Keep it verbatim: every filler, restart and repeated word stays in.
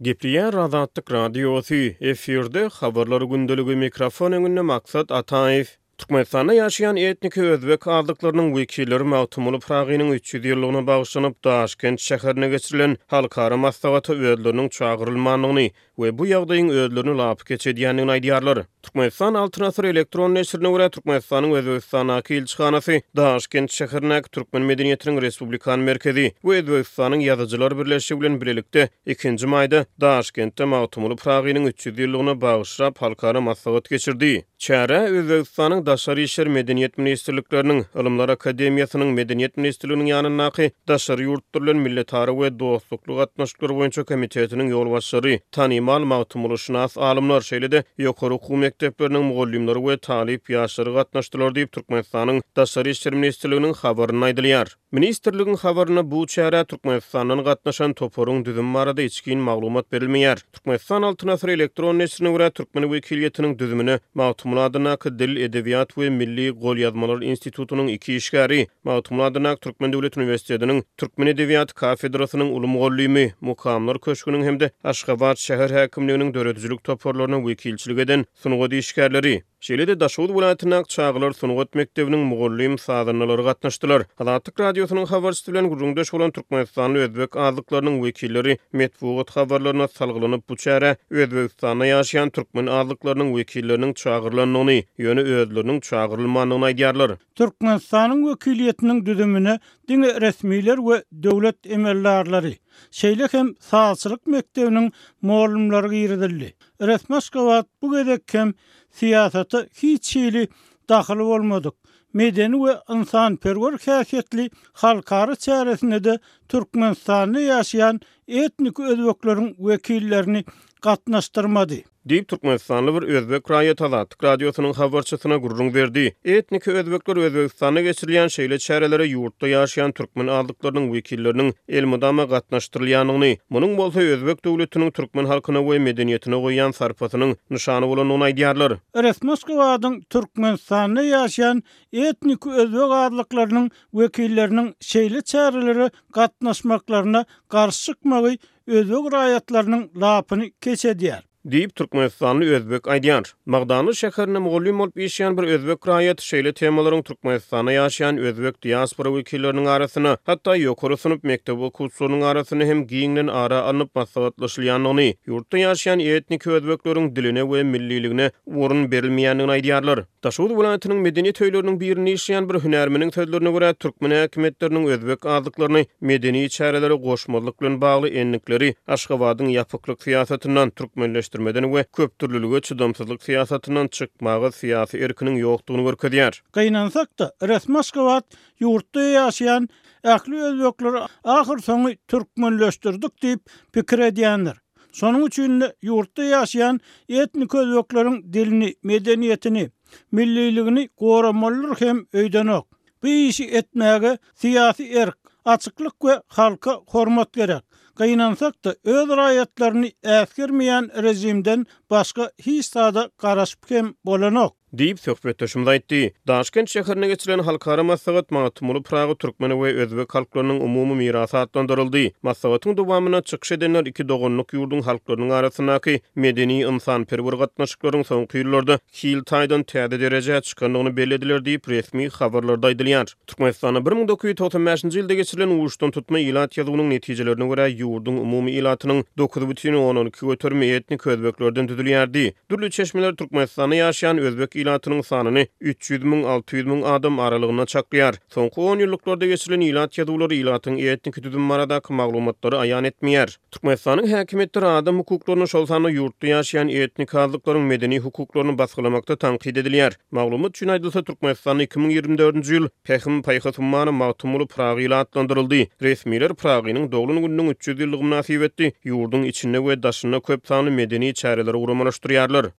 Gepleýär Azatlyk Radiosy, efirde Habarlar gündeligi, mikrofon öňünde Maksat Ataýew. Türkmenistanda ýaşaýan etniki özbek azlyklarynyň wekilleri Magtymguly Pyragynyň üç ýüz ýyllygyna bagyşlanyp Daşkent şäherinde geçirilen halkara maslahata özleriniň çagyrylmandygyny we bu ýagdaýyň özlerini lapykeç edýändigini aýdýarlar. Türkmenistan Altyn asyr elektron neşirine görä, Türkmenistanyň Özbegistandaky ilçihanasy, Daşkent şäherindäki Türkmen medeniýetiniň respublikan merkezi we Özbegistanyň Ýazyjylar birleşigi bilen bilelikde ikinji maýda Daşkentde Magtymguly Pyragynyň üç ýüz ýyllygyna bagyşlap halkara maslahat geçirdi. Çärä Özbegistanyň Daşary işler, Medeniýet ministrlikleriniň, Ylymlar akademiýasynyň, Medeniýet ministrliginiň ýanyndaky Daşary ýurtlar bilen milletara we dostlukly gatnaşyklar boýunça komitetiniň ýolbaşçylary, tanymal magtymgulyşynas alymlar, şeýle-de ýokary okuw mekdepleriniň mugallymlary we talyp ýaşlary gatnaşdylar diýip, Türkmenistanyň Daşary işler ministrliginiň habarynda aýdylýar. Ministrligiň habarynda bu çärä Türkmenistandan gatnaşan toparyň düzümi barada içgin maglumat berilmeýär. Türkmenistan Altyn asyr elektron neşirine görä, türkmen wekiliýetiniň düzümine Magtymguly adyndaky Dil, edebiýat we milli golýazmalar institutynyň iki işgäri, Magtymguly adyndaky Türkmen döwlet uniwersitetiniň türkmen edebiýaty kafedrasynyň uly mugallymy, Mukamlar köşgüniň hem-de Aşgabat şäher häkimliginiň döredijilik toparlaryna wekilçilik eden sungat işgärleri, şeýle-de Daşoguz welaýatyndaky çagalar sungat mekdebiniň mugallym-sazandalary gatnaşdylar. Azatlyk Radiosynyň habarçysy bilen gürrüňdeş bolan türkmenistanly özbek azlyklarynyň wekilleri metbugat habarlaryna salgylanyp, bu çärä Özbegistanda ýaşaýan türkmen azlyklarynyň wekilleriniň çagyrylandygyny, ýöne özleriniň çagyrylmandygyny aýdýarlar. Türkmenistanyň wekiliýetiniň düzümine diňe resmiler we döwlet emeldarlary, şeýle hem sazçylyk mekdebiniň mugallymlary girizildi. Resmi Aşgabat bu gezek hem syýasata hiç hili dahyly bolmadyk, medeni we ynsanperwer häsiýetli halkara çäresine-de Türkmenistanda ýaşaýan etnik özbekleriň wekillerini gatnaşdyrmady. Diýip, türkmenistanly bir özbek raýaty Azatlyk Radiosynyň habarçysyna gürrüň berdi. Etniki özbekler Özbegistanda geçirilýän şeýle çärelere ýurtda ýaşaýan türkmen azlyklarynyň wekilleriniň elmydama gatnaşdyrylýandygyny, munuň bolsa özbek döwletiniň türkmen halkyna we medeniýetine goýýan sarpasynyň nyşany bolandygyny aýdýarlar. Resmi Aşgabadyň Türkmenistanda ýaşaýan etniki özbek azlyklarynyň wekilleriniň şeýle çärelere gatnaşmaklaryna garşy çykmagy özbek raýatlarynyň lapyny keç edýär. Diýip, türkmenistanly özbek aýdýar. Magdanly şäherinde mugallym bolup işleýän bir özbek raýaty şeýle temalaryň Türkmenistanda ýaşaýan özbek diaspora wekilleriniň arasynda, hatda ýokary synp mekdep okuwçylarynyň arasynda hem giňden ara alnyp maslahatlaşylýandygyny, ýurtda ýaşaýan etniki özbekleriň diline we milliligine orun berilmeýändigini aýdýarlar. Daşoguz welaýatynyň medeniýet öýleriniň birinde işleýän bir hünärmeniň sözlerine görä, türkmen häkimiýetleriniň özbek azlyklaryny medeni çärelere goşmazlyk bilen bagly endikleri Aşgabadyň ýapyklyk syýasatyndan, türkmenleşdirmeden we köpdürlülige çydamsyzlyk syýasatyndan çykmaga syýasy erkiniň ýokdugyny görkezýär. Gynansak-da, resmi Aşgabat ýurtda ýaşaýan ähli özbekleri ahyrsoňy türkmenleşdirdik diýip pikir edýändir. Şonuň üçin-de ýurtda ýaşaýan etnik özbekleriň dilini, medeniýetini, milliligini goramalydyr hem öýdenok. Bu işi etmäge syýasy erk, açyklyk we halka hormat gerek. Gynansak-da, öz raýatlaryny äsgermeýän režimden başga hiç zada garaşyp hem bolanok. Diýip, söhbetdeşimiz aýtdy. Daşkent şäherinde geçirilen halkara maslahat Magtymguly Pyragy türkmen we özbek halklarynyň umumy mirasy atlandyryldy. Maslahatyň dowamynda çykyş edenler iki doganlyk ýurduň halklarynyň arasyndaky medeni-ynsanperwer gatnaşyklaryň soňky ýyllarda hil taýdan täze derejä çykandygyny bellediler diýip, resmi habarlarda aýdylýar. Türkmenistanda bir müň dokuz ýüz togsan bäşinji ýylda geçirilen uçdantutma ilat ýazuwynyň netijelerine görä, ýurduň umumy ilatynyň dokuz bütin ondan iki göterimi etnik özbeklerden düzülýärdi. Dürli çeşmeler Türkmenistanda ýaşaýan özbek ilatynyň sanyny üç ýüz müň, alty ýüz müň adam aralygynda çaklaýar. Soňky on ýyllyklarda geçirilen ilat ýazuwlary ilatyň etniki düzümi baradaky maglumatlary aýan etmeýär. Türkmenistanyň häkimiýetleri adam hukuklaryny, şol sanda ýurtda ýaşaýan etnik azlyklaryň medeni hukuklaryny basgylamakda tankyt edilýär. Maglumat üçin aýdylsa, Türkmenistanda iki müň ýigrimi dördünji ýyl Pähim-paýhas ummany Magtymguly Pyragy ýyly atlandyryldy. Resmiler Pyragynyň doglan gününiň üç ýüz ýyllygy mynasybetli ýurduň içinde we daşynda köp sanly medeni çäreleri guramalaşdyrýarlar.